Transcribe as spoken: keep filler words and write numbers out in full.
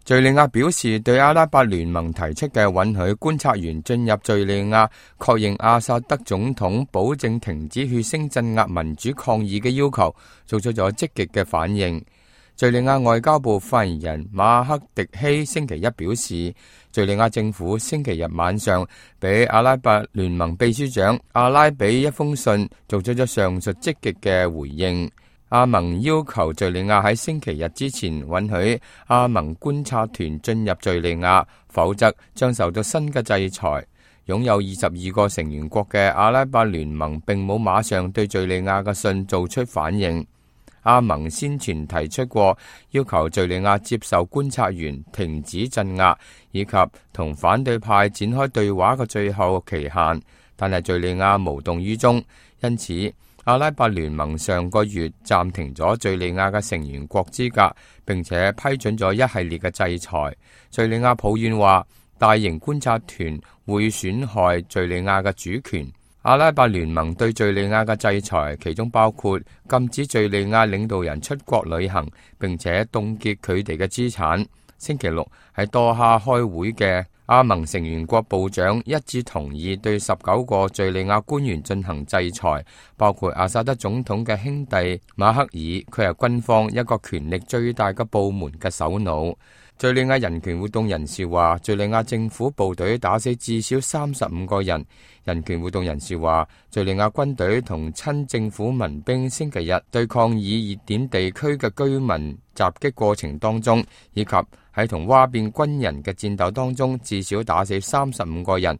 敘利亞表示，對阿拉伯聯盟提出嘅允許觀察員進入敘利亞確認阿薩德總統保證停止血腥鎮壓民主抗議嘅要求，做出咗積極嘅反應。敘利亞外交部發言人馬克迪希星期一表示，敘利亞政府星期日晚上俾阿拉伯聯盟秘書長阿拉比一封信，做出咗上述積極嘅回應。阿盟要求敘利亞喺星期日之前允許阿盟觀察團進入敘利亞，否則將受到新嘅制裁。擁有二十二個成員國嘅阿拉伯聯盟並冇馬上對敘利亞嘅信做出反應。阿盟先前提出過要求敘利亞接受觀察員、停止鎮壓以及同反對派展開對話嘅最後期限，但係敘利亞無動於衷，因此阿拉伯聯盟上個月暫停咗敘利亞嘅成員國資格，並且批准咗一系列嘅制裁。敘利亞抱怨話，大型觀察團會損害敘利亞嘅主權。阿拉伯聯盟對敘利亞嘅制裁，其中包括禁止敘利亞領導人出國旅行，並且凍結佢哋嘅資產。星期六喺多哈開會嘅阿盟成員國部長一致同意對十九個敘利亞官員進行制裁，包括阿薩德總統嘅兄弟馬克爾，佢係軍方一個權力最大嘅部門嘅首腦。敘利亞人權活動人士話，敘利亞政府部隊打死至少三十五個人。人權活動人士話，敘利亞軍隊同親政府民兵星期日對抗以熱點地區嘅居民襲擊過程當中，以及喺同嘩變軍人嘅戰鬥當中，至少打死三十五個人。